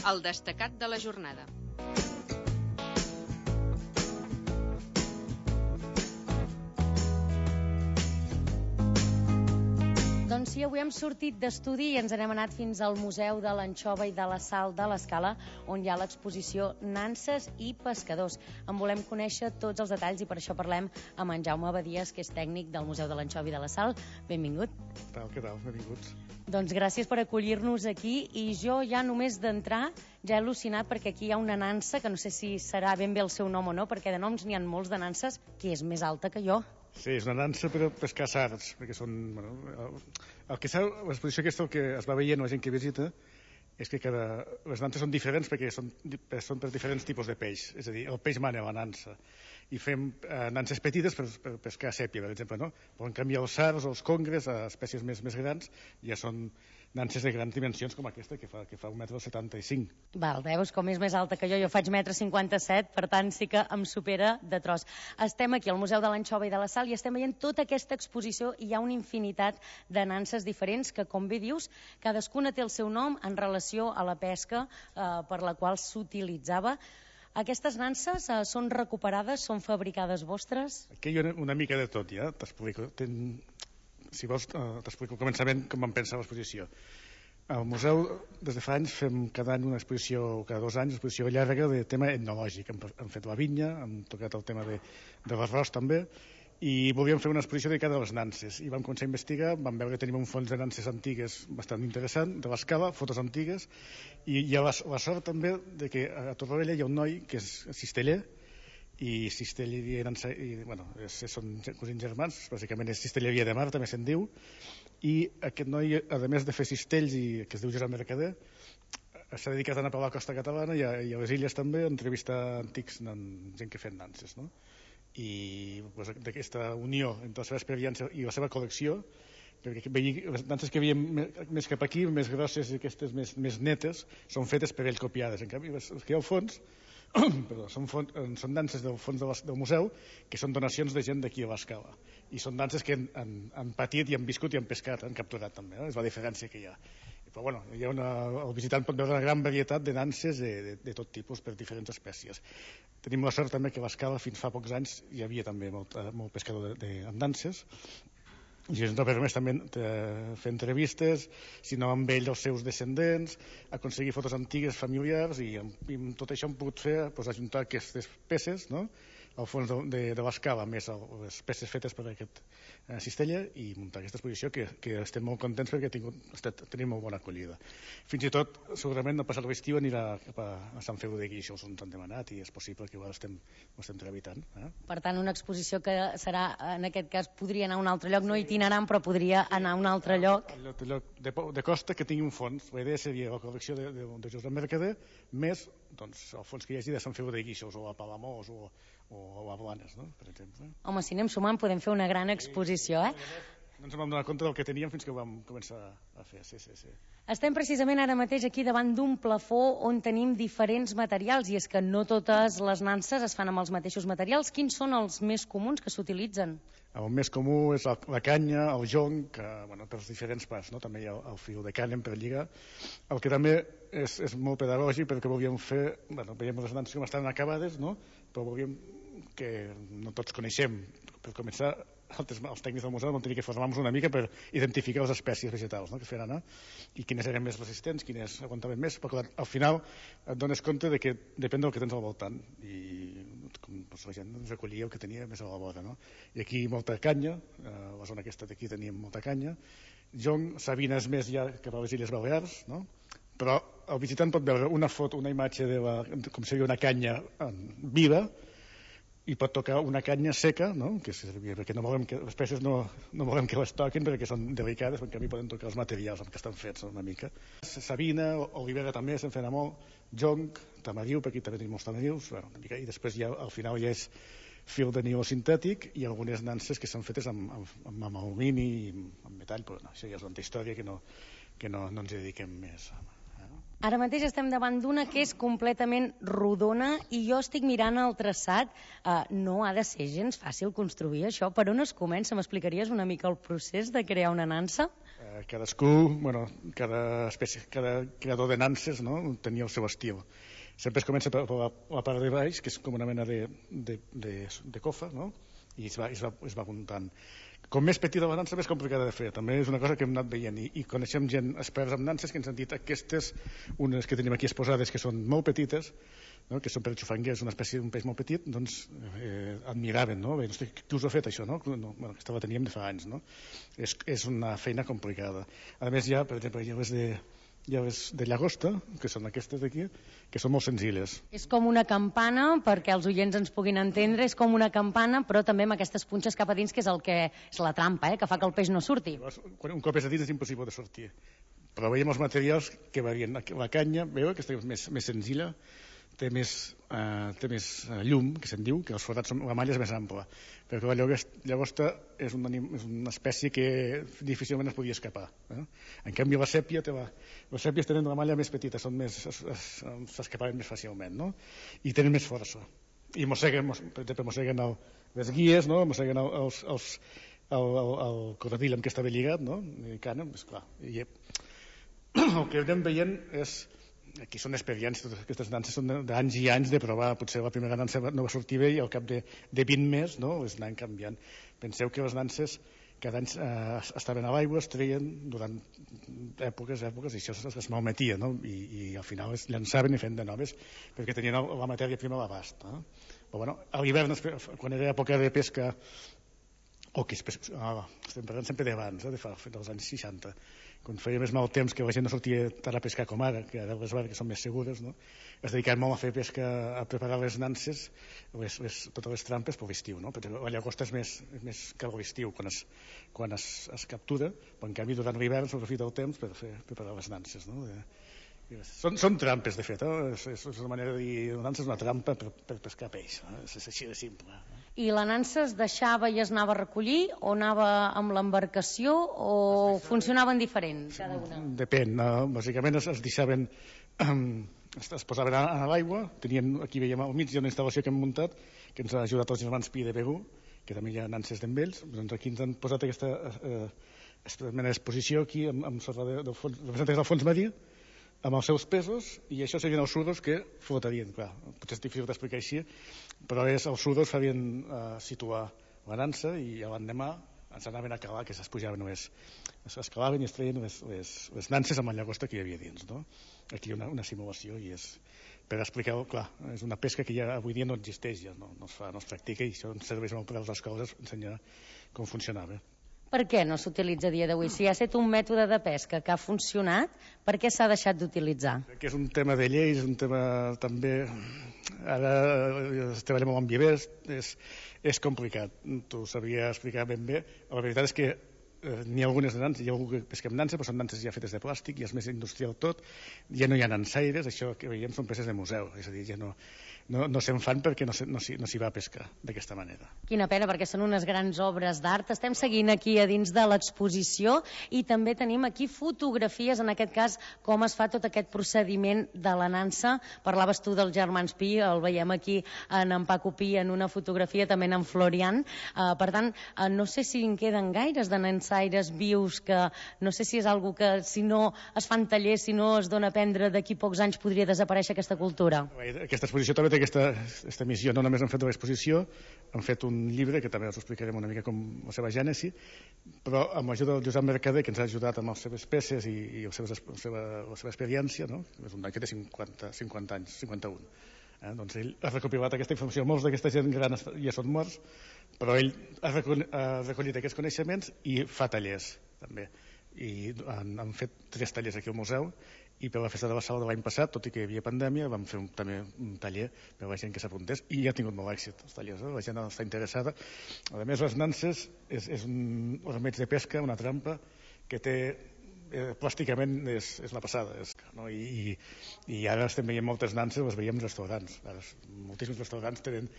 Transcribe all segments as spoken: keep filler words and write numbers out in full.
el destacat de la jornada. Doncs sí, avui hem sortit d'estudi i ens n'hem anat fins al Museu de l'Anxova i de la Sal de l'Escala, on hi ha l'exposició Nanses i pescadors. En volem conèixer tots els detalls i per això parlem amb en Jaume Badies, que és tècnic del Museu de l'Anxova i de la Sal. Benvingut. Què tal, què tal? Benvinguts. Doncs gràcies per acollir-nos aquí, i jo ja només d'entrar ja he al·lucinat perquè aquí hi ha una nansa, que no sé si serà ben bé el seu nom o no, perquè de noms n'hi ha molts de nanses, que és més alta que jo. Sí, és una nansa per pescar sards, perquè són... Bueno, el, el que s'ha, l'exposició aquesta, el que es va veient la gent que visita, és que cada, les nanses són diferents perquè són, són per diferents tipus de peix. És a dir, el peix mana la nansa. I fem eh, nanses petites per, per pescar sèpia, per exemple, no? Però en canvi els sards o els congres, a espècies més, més grans, ja són nanses de grans dimensions com aquesta, que fa, que fa un metre setanta-cinc. Val, veus com és més alta que jo, jo faig metre cinquanta-set, per tant sí que em supera de tros. Estem aquí al Museu de l'Anxova i de la Sal i estem veient tota aquesta exposició, i hi ha una infinitat de nanses diferents que, com bé dius, cadascuna té el seu nom en relació a la pesca eh, per la qual s'utilitzava. Aquestes nanses eh, són recuperades, són fabricades vostres? Aquí hi ha una, una mica de tot, ja, t'explico. Ten... Si vols, uh, t'explico al començament com vam pensar l'exposició. Al museu, des de fa anys, fem cada any una exposició, cada dos anys, una exposició llarga de tema etnològic. Hem, hem fet la vinya, hem tocat el tema de, de l'arròs també, i volíem fer una exposició dedicada a les nanses. I vam començar a investigar, vam veure que tenim un fons de nanses antigues bastant interessant, de l'Escala, fotos antigues, i hi ha la, la sort també de que a Torroella hi ha un noi que és cisteller, i cistelleria i, bueno, és, són cosins germans, bàsicament és cistelleria de mar, també se'n diu, i aquest noi, a més de fer cistells, i que es diu Josep Mercader, s'ha dedicat a anar per la costa catalana i a, i a les illes també, a entrevistar antics, gent que feien nanses, no? I pues, d'aquesta unió entre la seva experiència i la seva col·lecció, perquè les nanses que veiem més cap aquí, més grosses i aquestes més, més netes, són fetes per ell copiades. En canvi, les que hi ha al fons Perdó, són, fons, són danses del fons de les, del museu, que són donacions de gent d'aquí a l'Escala, i són danses que han, han, han patit i han viscut i han pescat, han capturat també, eh? És la diferència que hi ha. Però bueno, hi ha una, el visitant pot veure una gran varietat de danses de, de, de tot tipus per diferents espècies. Tenim la sort també que a l'Escala fins fa pocs anys hi havia també molt, molt pescador de, de, amb danses, i ens no permès també fer entrevistes, sinó amb ell els seus descendents, aconseguir fotos antigues familiars, i, i amb tot això hem pogut fer, doncs, ajuntar aquestes peces, no?, al fons de, de, de l'Escala, més el, les peces fetes per aquest eh, cistella, i muntar aquesta exposició que, que estem molt contents perquè ha tingut, estat, tenim molt bona acollida. Fins i tot, segurament, al passat l'estiu anirà cap a, a Sant Feliu de Guíxols, on ens han demanat, i és possible que ho estem, ho estem tramitant. Eh? Per tant, una exposició que serà, en aquest cas, podria anar a un altre lloc, no itinerant, però podria anar a un altre lloc. El lloc, el lloc de, de costa que tingui un fons. La idea seria la col·lecció de, de, de Josep Mercader, més doncs, el fons que hi hagi de Sant Feliu de Guíxols, o a Palamós, o o a Blanes, no?, per exemple. Home, si anem sumant podem fer una gran exposició, eh? No ens vam donar compte del que teníem fins que ho vam començar a fer, sí, sí, sí. Estem precisament ara mateix aquí davant d'un plafó on tenim diferents materials, i és que no totes les nanses es fan amb els mateixos materials. Quins són els més comuns que s'utilitzen? El més comú és la, la canya, el jonc, que, bueno, per diferents parts, no? També hi ha el, el fil de canya per lligar. El que també és, és molt pedagògic, perquè volíem fer, bueno, veiem les nanses com estan acabades, no?, però volíem que no tots coneixem. Per començar, els tècnics del museu vam tenir que formar-nos una mica per identificar les espècies vegetals, no?, que es feien anar, i quines eren més resistents, quines aguantaven més, però clar, al final et dones compte de que depèn del que tens al voltant, i com, doncs, la gent recollia el que tenia més a la vora, no? I aquí molta canya, a la zona aquesta d'aquí teníem molta canya, jonc, sabines més ja cap a les Illes Balears, no?, però el visitant pot veure una foto, una imatge de la, com seria una canya viva, i pot tocar una canya seca, no?, que servia, perquè no volem que les peces no, no volem que les toquin perquè són delicades, perquè a mi poden tocar els materials amb què estan fets una mica. Sabina, olivera també se'n feina molt, jonc, tamariu, perquè aquí també tenim molts tamarius, bueno, una mica, i després ja al final ja és fil de niló sintètic i algunes nanses que són fetes amb, amb, amb alumini i amb metall, però no, això ja és una història que no, que no, no ens hi dediquem més. Ara mateix estem davant d'una que és completament rodona i jo estic mirant el traçat. Uh, no ha de ser gens fàcil construir això. Per on es comença? M'explicaries una mica el procés de crear una nansa? Uh, cadascú, bueno, cada, espècie, cada creador de nanses, no? Tenia el seu estil. Sempre es comença per la, la part de baix, que és com una mena de, de, de, de cofa, no? I es va, es va, es va muntant. Com més petita la nansa, més complicada de fer. També és una cosa que hem anat veient i, i coneixem gent experts en nanses que ens han dit aquestes, unes que tenim aquí exposades que són molt petites, no? Que són per xufanguers, una espècie d'un peix molt petit, doncs eh, admiraven, no? Bé, qui us ha fet això, no? no bueno, aquesta la teníem de fa anys, no? És, és una feina complicada. A més, hi ha, per exemple, hi ha les de, hi ha les de llagosta, que són aquestes d'aquí, que són molt senzilles. És com una campana, perquè els oients ens puguin entendre, és com una campana, però també amb aquestes punxes cap a dins, que és el que és la trampa, eh? Que fa que el peix no surti. Quan un cop és a dins és impossible de sortir. Però veiem els materials que varien. La canya, veu, aquesta és més, més senzilla, té més, eh, té més llum, que se'n diu, que els forats són, la malla és més ampla, perquè la llagosta és una, és una espècie que difícilment es podia escapar. Eh? En canvi, la sèpia, té la, les sèpies tenen la malla més petita, són més, s'escapaven més fàcilment, no? I tenen més força. I mosseguen, per exemple, mosseguen el, les guies, no? Mosseguen el, els, els, el, el, el corredill amb què estava lligat, no? I cana, esclar. I el que anem veient és... Aquí són experiències, totes aquestes nanses són d'anys i anys de provar. Potser la primera nansa no va sortir bé i al cap de, de vint més, no? Les anaven canviant. Penseu que les nanses cada any eh, estaven a l'aigua, es treien durant èpoques, èpoques, i això es, es malmetia, no? I, i al final es llançaven i feien de noves perquè tenien la matèria prima a l'abast. No? Però bueno, a l'hivern, quan era època de pesca, o que és, ah, estem parlant sempre d'abans, eh, de fa, dels anys seixanta, quan feia més mal temps, que la gent no sortia tant a pescar com ara, que ara les barques són més segures, no? Es dedicaven molt a fer pesca, a preparar les nanses, les, les, totes les trampes per l'estiu, no? Perquè la llagosta és més, és més que l'estiu quan, es, quan es, es captura, però en canvi durant l'hivern s'aprofita el temps per fer preparar les nanses, no? De, Són, són trampes, de fet, eh? és, és una manera de dir la nansa és una trampa per, per pescar peix, eh? És així de simple. Eh? I la nansa es deixava i es anava a recollir, o anava amb l'embarcació, o funcionaven diferent cada una? Depèn, eh? Bàsicament es, es deixaven, eh, es, es posaven a, a l'aigua, tenien, aquí veiem al mig hi ha una instal·lació que hem muntat, que ens ha ajudat els germans Pi de Begú, que també hi ha nanses d'en ells, doncs aquí ens han posat aquesta eh, mena d'exposició aquí, amb, amb sorra de, del fons, representa el fons marí, amb els seus pesos, i això serien els sudos que flotarien, clar, potser és difícil d'explicar així, però és, els sudos farien eh, situar la nansa i l'endemà ens anaven a calar, que s'espujaven les, es calaven i es treien les, les, les nanses amb la llagosta que hi havia dins, no? Aquí hi ha una, una simulació i és per explicar-ho, clar, és una pesca que ja avui dia no existeix, ja no, no, es fa, no es practica, i això ens serveix molt per a les escoles ensenyar com funcionava. Per què no s'utilitza a dia d'avui? Si ha estat un mètode de pesca que ha funcionat, per què s'ha deixat d'utilitzar? Que és un tema de lleis, és un tema també... Ara treballem amb vivers, és, és complicat. T'ho sabria explicar ben bé. La veritat és que eh, n'hi ha algunes de nanses, hi ha algú que pesca amb nanses, però són nanses ja fetes de plàstic, ja és més industrial tot, ja no hi ha nansaires, això que veiem són peces de museu, és a dir, ja no... no, no se'n fan perquè no s'hi no no va a pescar d'aquesta manera. Quina pena, perquè són unes grans obres d'art. Estem seguint aquí a dins de l'exposició i també tenim aquí fotografies, en aquest cas, com es fa tot aquest procediment de la nansa. Parlaves tu dels germans Pi, el veiem aquí en en Paco Pi en una fotografia, també en Florian. Uh, per tant, uh, no sé si en queden gaires de nansaires vius, que no sé si és algo que si no es fan tallers, si no es dona a aprendre, d'aquí pocs anys podria desaparèixer aquesta cultura. Aquesta exposició també té aquesta, aquesta missió. No només han fet l'exposició, han fet un llibre que també us explicarem una mica com la seva gènesi, però amb l'ajuda del Josep Mercader, que ens ha ajudat amb les seves peces i, i la, seva, la, seva, la seva experiència, no? És un noi que té cinquanta, cinquanta anys, cinquanta-un. Eh? Doncs ell ha recopilat aquesta informació. Molts d'aquesta gent gran ja són morts, però ell ha recollit, ha recollit aquests coneixements i fa tallers també. I han, han fet tres tallers aquí al museu, i per la festa de la Sala de l'any passat, tot i que hi havia pandèmia, vam fer un, també un taller per a la gent que s'apuntés, i ja ha tingut molt èxit els tallers, eh? La gent està interessada. A més, les nanses és, és un ormeig de pesca, una trampa que té eh, plàsticament és, és la passada, és, no? I, i, i ara estem veient moltes nanses, les veiem en restaurants. Ara, moltíssims restaurants tenen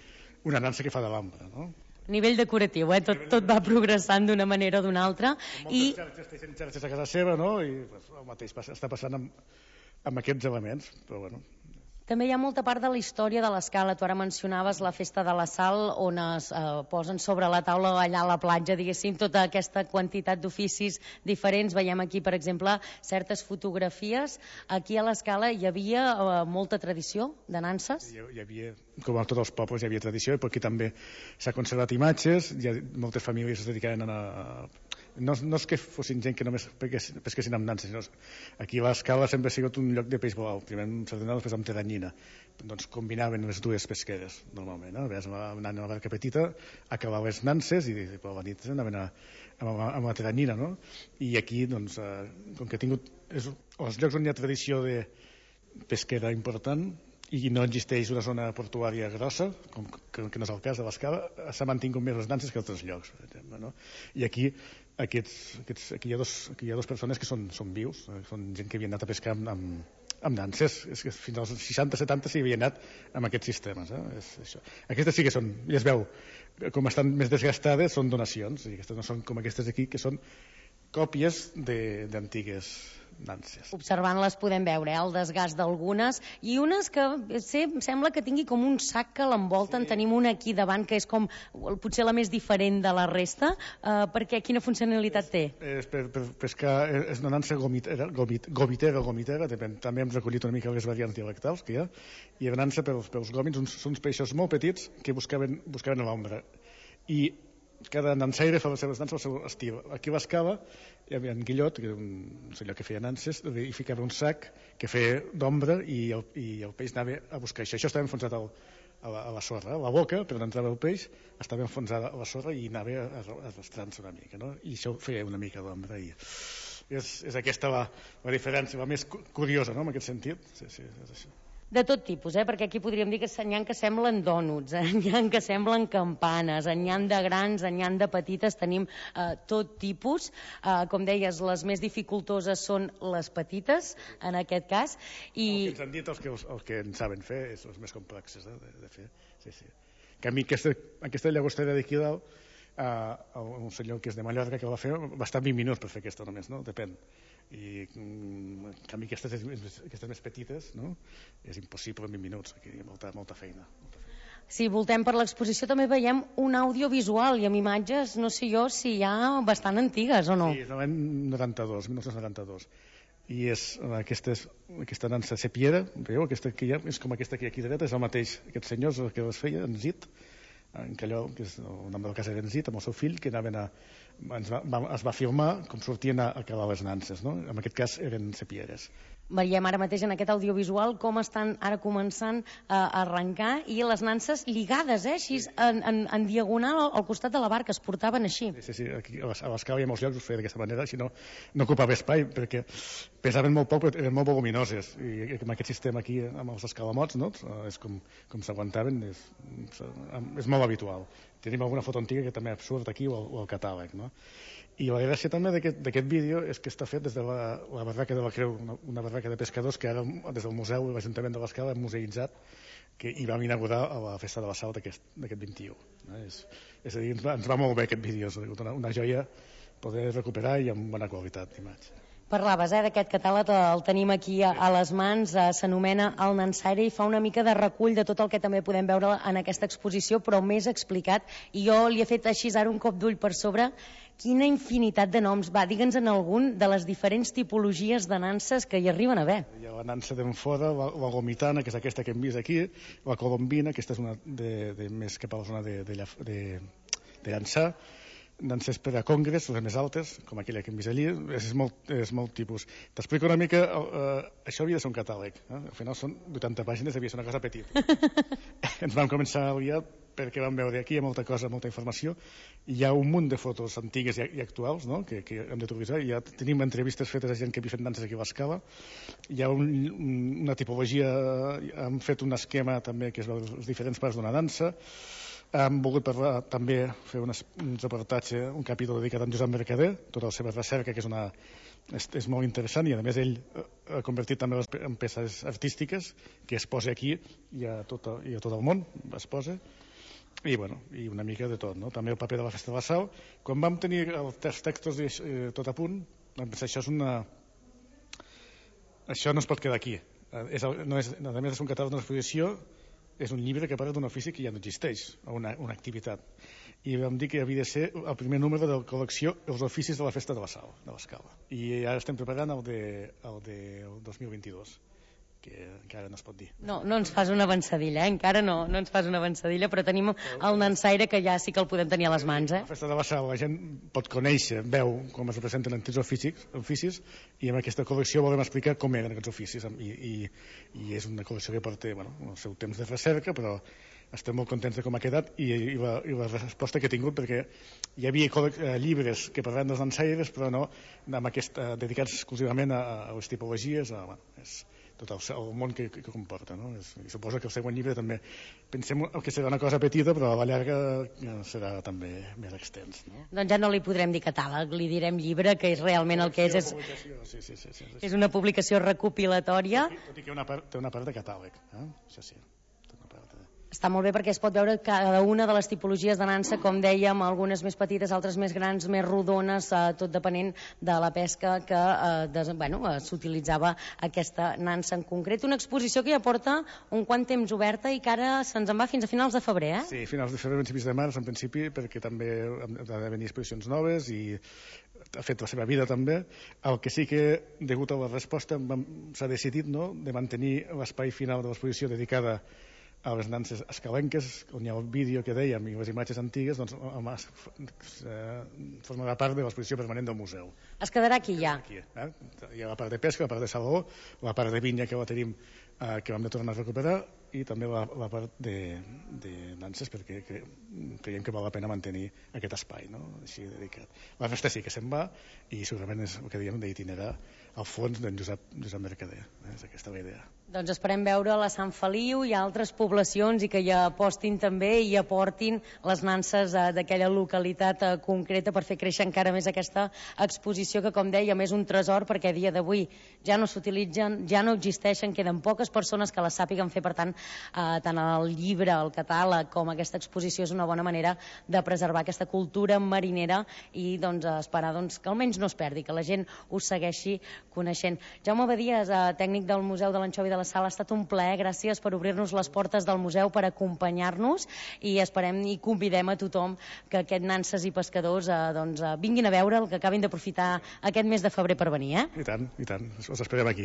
una nansa que fa de l'ambra, no? Nivell decoratiu, eh? tot, tot va progressant d'una manera o d'una altra. Moltes i... xarxes tenen xarxes a casa seva, no? I pues, el mateix passa, està passant amb, amb aquests elements, però bueno. També hi ha molta part de la història de l'Escala. Tu ara mencionaves la festa de la Sal, on es eh, posen sobre la taula allà a la platja, diguéssim, tota aquesta quantitat d'oficis diferents. Veiem aquí, per exemple, certes fotografies. Aquí a l'Escala hi havia eh, molta tradició de nanses? Hi, hi havia, com a tots els pobles, hi havia tradició, i aquí també s'ha conservat imatges, hi ha moltes famílies es dedicaven a... No, no és que fossin gent que només pesquessin amb nanses, sinó aquí a l'Escala sempre ha sigut un lloc de peix volau, primer amb sardina, després amb teranyina. Doncs combinaven les dues pesqueres, normalment. Eh? Ves, anant a la barca petita, acabar les nanses i per la nit anaven a, amb, la, amb la teranyina, no? I aquí, doncs, eh, com que ha tingut... És, els llocs on hi ha tradició de pesquera important, i no existeix una zona portuària grossa, com que, que no és el cas de l'Escala, s'ha mantingut més les nanses que altres llocs, per exemple, no? I aquí, aquests, aquests, aquí, hi ha dos, aquí hi ha dos persones que són, són vius, són gent que havien anat a pescar amb, amb, amb nanses, és que fins als seixanta setanta s'hi havia anat amb aquests sistemes. Eh? És això. Aquestes sí que són, ja es veu, com estan més desgastades, són donacions, i aquestes no són com aquestes aquí, que són còpies d'antigues nanses. Observant-les podem veure eh, el desgast d'algunes, i unes que sé, sembla que tingui com un sac que l'envolten. Sí. Tenim una aquí davant que és com potser la més diferent de la resta, eh, perquè quina funcionalitat té? És, és per, per pescar, és una nansa gomitera, gomit, gomitera o gomitera, depèn, també hem recollit una mica les variants dialectals que hi ha, i la nansa pels, pels gòmits, uns, són uns peixos molt petits que buscaven, buscaven a l'ombra, i cada nansaire fa les seves nanses al seu estil. Aquí a l'Escala hi havia en Guillot, que era un senyor que feia nanses, i ficava un sac que feia d'ombra, i, el, i el peix anava a buscar això. Això estava enfonsat al, a, la, a la sorra, a la boca, per on entrava el peix, estava enfonsada a la sorra i anava arrastrant-se una mica, no? I això feia una mica d'ombra. I és, és aquesta la, la diferència, la més curiosa, no?, en aquest sentit. Sí, sí, és això. De tot tipus, eh? Perquè aquí podríem dir que n'hi ha que semblen dònuts, eh? N'hi ha que semblen campanes, n'hi ha de grans, n'hi ha de petites, tenim eh, tot tipus. Eh, com deies, les més dificultoses són les petites, en aquest cas. I... El que ens han dit els que, els que en saben fer és els més complexes, eh, de, de fer. Sí, sí. Que a mi aquesta, aquesta llagostera d'aquí dalt, eh, un senyor que és de Mallorca que va fer, va estar vint minuts per fer aquesta només, no? Depèn. I en canvi aquestes, aquestes més petites, no? És impossible en vint minuts, aquí hi ha molta, molta feina, molta feina. Si voltem per l'exposició també veiem un audiovisual i amb imatges, no sé jo si hi ha bastant antigues o no. Sí, és l'any noranta-dos, mil nou-cents noranta-dos, i és aquesta, aquesta nansa sepiera, veieu, aquesta que hi ha, és com aquesta que hi ha aquí dreta, és el mateix, aquest senyor que les feia, en Zit, en Calló, que és el nom del cas era en Zit, amb el seu fill, que anaven a, ens va, va, es va filmar com sortien a, a cavar les nanses, no? En aquest cas eren sepieres. Veiem ara mateix en aquest audiovisual com estan ara començant a arrencar, i les nanses lligades, eh? Així, en, en, en diagonal al costat de la barca, es portaven així. Sí, sí, sí. Aquí a l'Escala i a molts llocs ho feia d'aquesta manera, si no, no ocupava espai, perquè pesaven molt poc, però eren molt voluminoses, i amb aquest sistema aquí, amb els escalamots, no? És com, com s'aguantaven, és, és molt habitual. Tenim alguna foto antiga que també surt aquí, o el, o el catàleg, no? I la gràcia també d'aquest vídeo és que està fet des de la, la barraca de la Creu, una, una barraca de pescadors que ara des del museu i l'Ajuntament de l'Escala hem museïtzat, que hi vam inaugurar a la festa de la Sal d'aquest vint-i-u. Eh? És, és a dir, ens va, ens va molt bé aquest vídeo, és una, una joia poder recuperar i amb bona qualitat d'imatge. Parlaves eh, d'aquest catàleg, el tenim aquí a, a les mans, eh, s'anomena El Nansaire i fa una mica de recull de tot el que també podem veure en aquesta exposició, però més explicat, i jo li he fet així ara un cop d'ull per sobre. Quina infinitat de noms. Va, digue'ns en algun de les diferents tipologies de nanses que hi arriben a haver. Hi ha la nansa d'enfora, la, la gomitana, que és aquesta que hem vist aquí, la colombina, aquesta és una de, de més cap a la zona de, de, de, de llançar, nanses per a congres, les més altes, com aquella que hem vist allí, és molt, és molt tipus. T'explico una mica, eh, això havia de ser un catàleg, eh? Al final són vuitanta pàgines, havia de ser una cosa petita. Ens vam començar a liar perquè vam veure aquí hi ha molta cosa, molta informació, hi ha un munt de fotos antigues i, i actuals, no? que, que hem d'utilitzar, ja tenim entrevistes fetes a gent que havia fet nanses aquí a l'Escala, hi ha un, una tipologia, hem fet un esquema també que és les diferents parts d'una dansa. Hem volgut parlar, també fer un, un reportatge, un capítol dedicat a en Josep Mercader, tota la seva recerca, que és, una, és, és molt interessant, i a més ell ha convertit també en peces artístiques que es posa aquí i a tot, i a tot el món es posa, i, bueno, i una mica de tot, no? També el paper de la Festa de la Sal. Quan vam tenir els textos eh, tot a punt, vam pensar, això és una... això no es pot quedar aquí. és, no és, a més de ser un catàleg d'una exposició, és un llibre que parla d'un ofici que ja no existeix, o una, una activitat. I vam dir que havia de ser el primer número de la col·lecció Els oficis de la festa de la Sal, de l'Escala. I ara estem preparant el de, el de el dos mil vint-i-dos, que encara no es pot dir. No, no ens fas una avançadilla, eh? Encara no, no ens fas una avançadilla, però tenim el nansaire que ja sí que el podem tenir a les mans. Eh? La festa de la Sal, la gent pot conèixer, veu com es representen antics oficis, oficis i amb aquesta col·lecció volem explicar com eren aquests oficis. I, i, i és una col·lecció que porta bueno, el seu temps de recerca, però estem molt contents de com ha quedat i, i, la, i la resposta que ha tingut, perquè hi havia eh, llibres que parlaven dels dansaires, però no amb aquest, eh, dedicats exclusivament a, a les tipologies, a, bueno, és tot el, el món que, que comporta, no? És, i suposo que el següent llibre també pensem que serà una cosa petita, però a la llarga serà també més extens, no? Doncs ja no li podrem dir catàleg, li direm llibre, que és realment el que és és, sí, sí, sí, sí, sí. és una publicació recopilatòria. Tot i que una part, té una part de catàleg, eh? Això sí. Està molt bé perquè es pot veure cada una de les tipologies de nansa, com dèiem, algunes més petites, altres més grans, més rodones, eh, tot depenent de la pesca que eh, des, bueno, eh, s'utilitzava aquesta nansa en concret. Una exposició que ja porta un quant temps oberta i que ara se'ns en va fins a finals de febrer, eh? Sí, finals de febrer, principis de març, en principi, perquè també han de venir exposicions noves i ha fet la seva vida també. El que sí que, degut a la resposta, s'ha decidit, no?, de mantenir l'espai final de l'exposició dedicada a les nanses escalenques, on hi ha el vídeo que dèiem i les imatges antigues, doncs formarà part de l'exposició permanent del museu. Es quedarà aquí ja? Aquí, eh? Hi ha la part de pesca, la part de saló, la part de vinya que la tenim, eh, que vam de tornar a recuperar, i també la, la part de, de nanses, perquè cre, creiem que val la pena mantenir aquest espai, no?, així dedicat. La resta sí que se'n va, i segurament és el que dèiem d'itinerar al fons d'en Josep, Josep Mercader, eh? És aquesta la idea. Doncs esperem veure la Sant Feliu i altres poblacions i que hi apostin també i aportin les nanses eh, d'aquella localitat eh, concreta per fer créixer encara més aquesta exposició que, com dèiem, és un tresor perquè a dia d'avui ja no s'utilitzen, ja no existeixen, queden poques persones que les sàpiguen fer, per tant, eh, tant el llibre, el catàleg com aquesta exposició és una bona manera de preservar aquesta cultura marinera i doncs, esperar doncs, que almenys no es perdi, que la gent ho segueixi coneixent. Jaume Badies, eh, tècnic del Museu de l'Anxova i de la Sal, ha estat un plaer, gràcies per obrir-nos les portes del museu, per acompanyar-nos, i esperem i convidem a tothom que aquest nanses i pescadors eh, doncs, eh, vinguin a veure el que acabin d'aprofitar aquest mes de febrer per venir. Eh? I tant, i tant, us esperem aquí.